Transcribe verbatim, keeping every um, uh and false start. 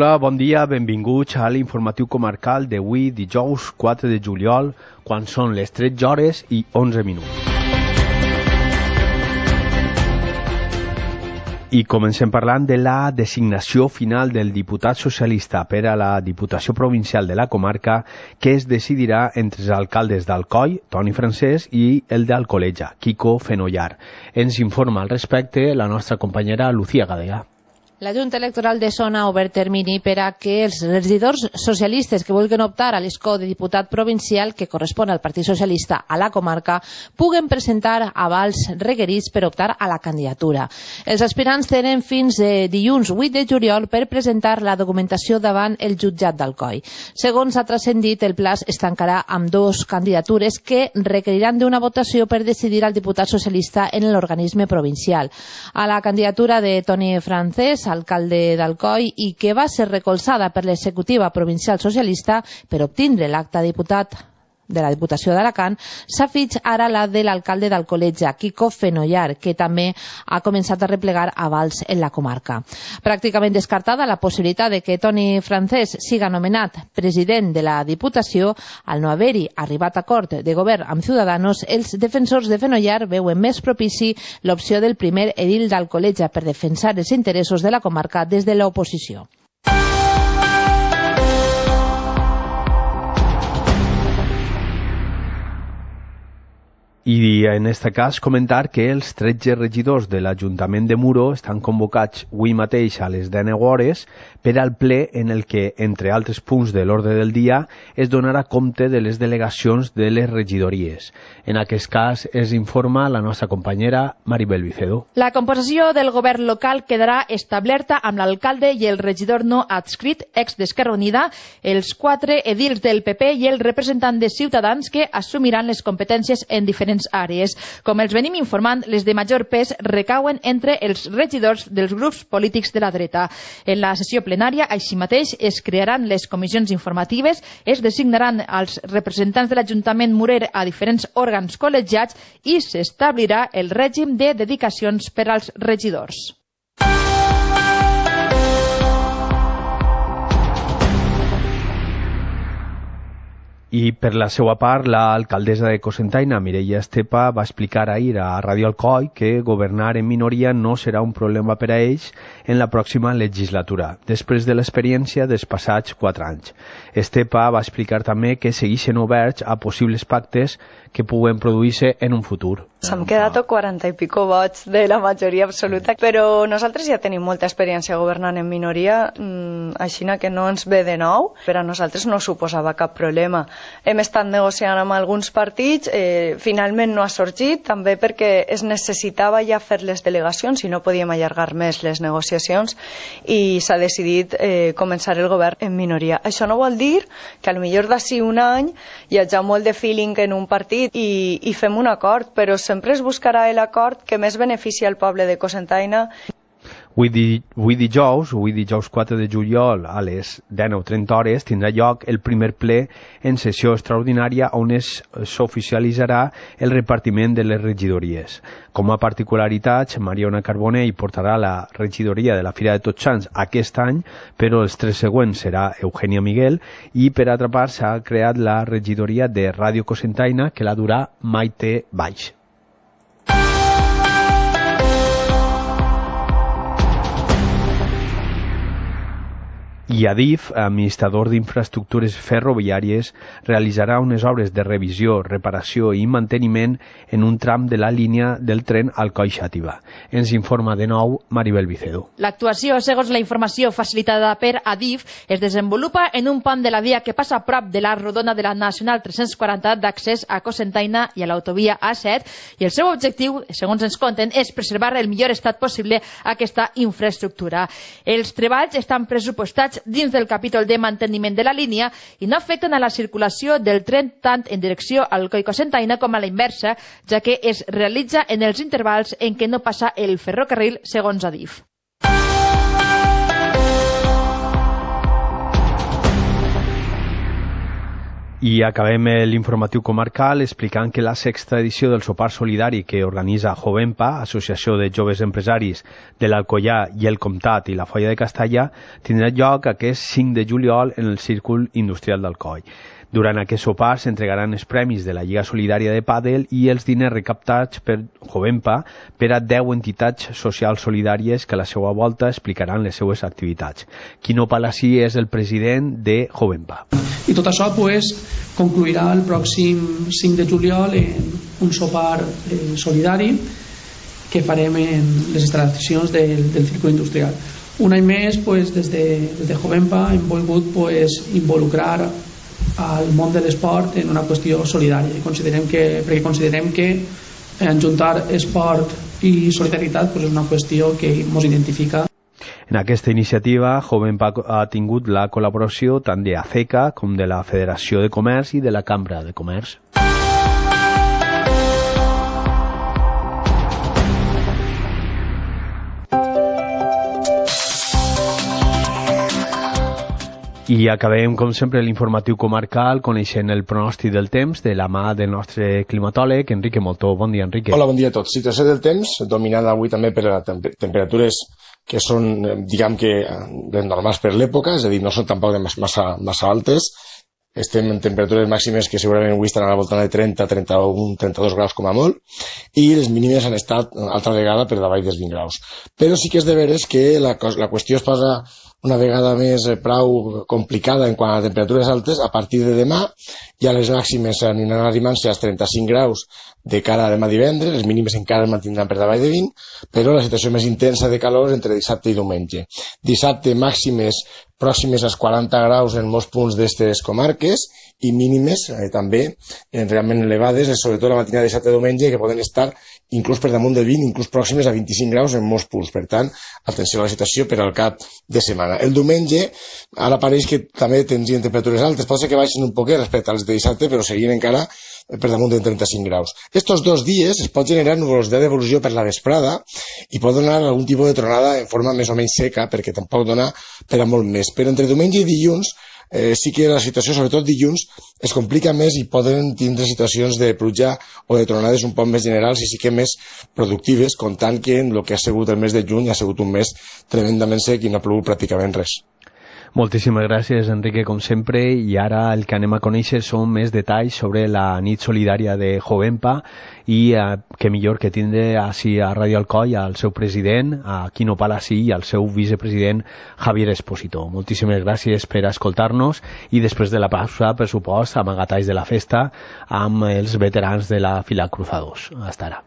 Hola, bon dia, benvinguts a l'informatiu comarcal d'avui, dijous quatre de juliol, quan són les tretze hores i onze minuts. I comencem parlant de la designació final del diputat socialista per a la Diputació Provincial de la comarca, que es decidirà entre els alcaldes d'Alcoi, Toni Francés, i el d'Alcoleja, Quico Fenollar. Ens informa al respecte la nostra companyera Lucía Gadea. La Junta Electoral de Sona ha obert termini per a que els regidors socialistes que vulguin optar a l'escó de diputat provincial que correspon al Partit Socialista a la comarca puguen presentar avals requerits per optar a la candidatura. Els aspirants tenen fins de dilluns vuit de juliol per presentar la documentació davant el jutjat d'Alcoi. Segons ha transcendit, el pla es tancarà amb dues candidatures que requeriran d'una votació per decidir al diputat socialista en l'organisme provincial. A la candidatura de Toni Francés, alcalde d'Alcoi, i que va ser recolzada per l'executiva provincial socialista per obtindre l'acta de diputat de la Diputació d'Alacant, s'afig ara la de l'alcalde d'Alcoleja, Quico Fenollar, que també ha començat a replegar avals en la comarca. Pràcticament descartada la possibilitat de que Toni Francés siga nomenat president de la Diputació, al no haver-hi arribat a acord de govern amb Ciudadanos, els defensors de Fenollar veuen més propici l'opció del primer edil d'Alcoleja per defensar els interessos de la comarca des de l'oposició. I en aquest cas comentar que els tretze regidors de l'Ajuntament de Muro estan convocats avui mateix a les deu hores per al ple en el que, entre altres punts de l'ordre del dia, es donarà compte de les delegacions de les regidories. En aquest cas es informa la nostra companyera Maribel Vicedo. La composició del govern local quedarà establerta amb l'alcalde i el regidor no adscrit, ex d'Esquerra Unida, els quatre edils del P P i el representant de Ciutadans que assumiran les competències en diferents àrees. Com els venim informant, les de major pes recauen entre els regidors dels grups polítics de la dreta. En la sessió plenària, així mateix, es crearan les comissions informatives, es designaran els representants de l'Ajuntament Murer a diferents òrgans col·legiats i s'establirà el règim de dedicacions per als regidors. I per la seva part, l'alcaldessa de Cocentaina, Mireia Estepa, va explicar ahir a Ràdio Alcoi que governar en minoria no serà un problema per a ells en la pròxima legislatura, després de l'experiència dels passats quatre anys. Estepa va explicar també que segueixen oberts a possibles pactes que puguen produir-se en un futur. S'han quedat quaranta i pico vots de la majoria absoluta, però nosaltres ja tenim molta experiència governant en minoria, així que no ens ve de nou. Per a nosaltres no suposava cap problema. Hem estat negociant amb alguns partits, eh, finalment no ha sorgit, també perquè es necessitava ja fer les delegacions i no podíem allargar més les negociacions i s'ha decidit eh, començar el govern en minoria. Això no vol dir que potser d'ací un any hi hagi molt de feeling en un partit i, i fem un acord, però sempre es buscarà l'acord que més beneficia al poble de Cocentaina. Avui, di, avui dijous, avui dijous quatre de juliol a les dinou trenta hores tindrà lloc el primer ple en sessió extraordinària on s'oficialitzarà el repartiment de les regidories. Com a particularitats, Mariona Carbonell portarà la regidoria de la Fira de Tots Sants aquest any, però els tres següents serà Eugènia Miguel, i per altra part s'ha creat la regidoria de Ràdio Cocentaina que la durà Maite Baix. I Adif, administrador d'infraestructures ferroviàries, realitzarà unes obres de revisió, reparació i manteniment en un tram de la línia del tren Alcoi-Xàtiva. Ens informa de nou Maribel Vicedo. L'actuació, segons la informació facilitada per Adif, es desenvolupa en un pont de la via que passa a prop de la rodona de la Nacional tres-cents quaranta d'accés a Cocentaina i a l'autovia A set, i el seu objectiu, segons ens conten, és preservar el millor estat possible aquesta infraestructura. Els treballs estan pressupostats dins del capítol de manteniment de la línia i no afecten a la circulació del tren tant en direcció al Alcoi-Cocentaina com a la inversa, ja que es realitza en els intervals en què no passa el ferrocarril, segons Adif. I acabem l'informatiu comarcal explicant que la sexta edició del sopar solidari que organitza Jovempa, Associació de Joves Empresaris de l'Alcoià i el Comtat i la Foia de Castalla, tindrà lloc aquest cinc de juliol en el Círcul Industrial d'Alcoi. Durant aquest sopar s'entregaran els premis de la Lliga Solidària de Pàdel i els diners recaptats per Jovempa per a deu entitats socials solidàries que a la seva volta explicaran les seues activitats. Quino Palasí és el president de Jovempa. I tot això pues, concluirà el pròxim cinc de juliol en un sopar eh, solidari que farem en les instal·lacions del, del Círculo Industrial. Un any més, pues, des, de, des de Jovempa hem volgut pues, involucrar al món de l'esport en una qüestió solidària. Considerem que, perquè considerem que enjuntar esport i solidaritat pues, és una qüestió que ens identifica. En aquesta iniciativa, Jovempa ha tingut la col·laboració tant de ACECA com de la Federació de Comerç i de la Cambra de Comerç. I acabem, com sempre, l'informatiu comarcal coneixent el pronòstic del temps de la mà del nostre climatòleg, Enrique Moltó. Bon dia, Enrique. Hola, bon dia a tots. Situació del temps, dominada avui també per temperatures que són, diguem que, normals per l'època, és a dir, no són tampoc massa, massa altes. Estem en temperatures màximes que segurament avui estan a la volta de trenta, trenta-un, trenta-dos graus com a molt, i les mínimes han estat altra vegada per davall dels vint graus. Però sí que és de veres que la, la qüestió es posa una vegada més prou complicada en quant a temperatures altes a partir de demà. Ja les màximes aniran arribant-se als trenta-cinc graus de cara a demà divendres, les mínimes encara es mantindran per davall de vint, però la situació més intensa de calor entre dissabte i diumenge. Dissabte màximes pròximes als quaranta graus en molts punts d'aquestes comarques i mínimes eh, també eh, realment elevades, sobretot la matinada de dissabte i diumenge, que poden estar inclús per damunt de vint, inclús pròximes a vint-i-cinc graus en molts punts. Per tant, atenció a la situació per al cap de setmana. El diumenge, ara pareix que també tindrien temperatures altes, pot ser que baixin un poquet respecte als de dissabte, però seguien encara per damunt de trenta-cinc graus. Estos dos dies es pot generar nuvolositat d'evolució per la vesprada i pot donar algun tipus de tronada en forma més o menys seca, perquè tampoc dona per a molt més. Però entre diumenge i dilluns eh, sí que la situació, sobretot dilluns, es complica més i poden tindre situacions de pluja o de tronades un poc més generals i sí que més productives, comptant que en el que ha sigut el mes de juny ha sigut un mes tremendament sec i no ha plogut pràcticament res. Moltíssimes gràcies, Enrique, com sempre, i ara el que anem a conèixer són més detalls sobre la nit solidària de Jovempa i eh, que millor que tindre així a Ràdio Alcoi al seu president, a Quino Palasí, i al seu vicepresident Javier Espósito. Moltíssimes gràcies per escoltar-nos i després de la pausa, per supost, amagatalls de la festa amb els veterans de la Fila Cruzados. Hasta ara.